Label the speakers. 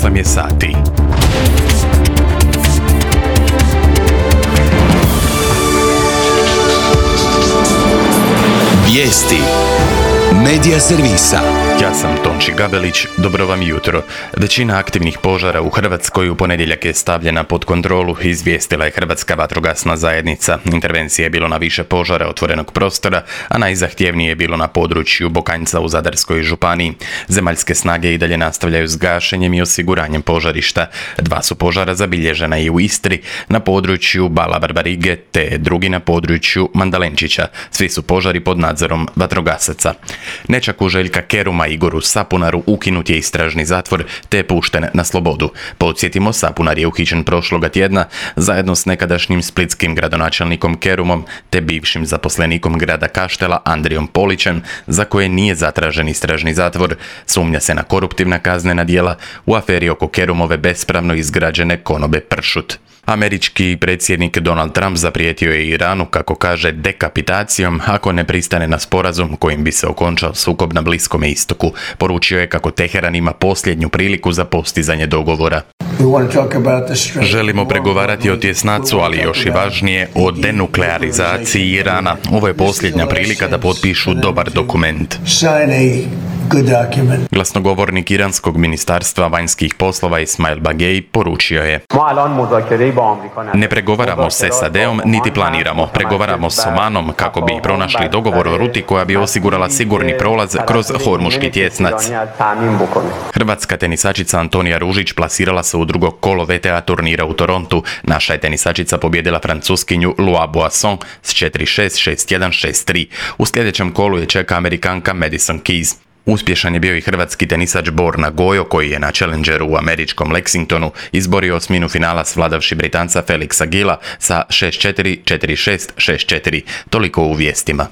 Speaker 1: 8 je sati.
Speaker 2: Vijesti Medija servisa.
Speaker 1: Ja sam Tonči Gabelić, dobro vam jutro. Većina aktivnih požara u Hrvatskoj u ponedjeljak je stavljena pod kontrolu, izvijestila je Hrvatska vatrogasna zajednica. Intervencije je bilo na više požara otvorenog prostora, a najzahtjevnije je bilo na području Bokanjca u Zadarskoj županiji. Zemaljske snage i dalje nastavljaju s gašenjem i osiguranjem požarišta. 2 su požara zabilježena i u Istri, na području Bala Barbarige, te drugi na području Mandalenčića. Svi su požari pod nadzorom vatrogasaca. Nečaku Željka Keruma Igoru Sapunaru ukinut je istražni zatvor te je pušten na slobodu. Podsjetimo, Sapunar je uhićen prošloga tjedna zajedno s nekadašnjim splitskim gradonačelnikom Kerumom te bivšim zaposlenikom grada Kaštela Andrijom Polićem, za koje nije zatražen istražni zatvor. Sumnja se na koruptivna kaznena djela u aferi oko Kerumove bespravno izgrađene konobe Pršut. Američki predsjednik Donald Trump zaprijetio je Iranu, kako kaže, dekapitacijom ako ne pristane na sporazum kojim bi se okončao sukob na Bliskom istoku. Poručio je kako Teheran ima posljednju priliku za postizanje dogovora. Želimo pregovarati o tjesnacu, ali još i važnije o denuklearizaciji Irana. Ovo je posljednja prilika da potpišu dobar dokument. Glasnogovornik iranskog ministarstva vanjskih poslova Ismail Bagei poručio je: ne pregovaramo s SAD-om niti planiramo. Pregovaramo s Omanom kako bi pronašli dogovor o ruti koja bi osigurala sigurni prolaz kroz Hormuški tjesnac. Hrvatska tenisačica Antonija Ružić plasirala se u drugo kolo VTA turnira u Torontu. Naša je tenisačica pobjedila Francuskinju Lua Boisson s 4-6, 6-1, 6-3. U sljedećem kolu je čeka Amerikanka Madison Keys. Uspješan je bio i hrvatski tenisač Borna Gojo, koji je na Challengeru u američkom Lexingtonu izborio osminu finala svladavši Britanca Felixa Gilla sa 6-4, 4-6, 6-4. Toliko u vijestima.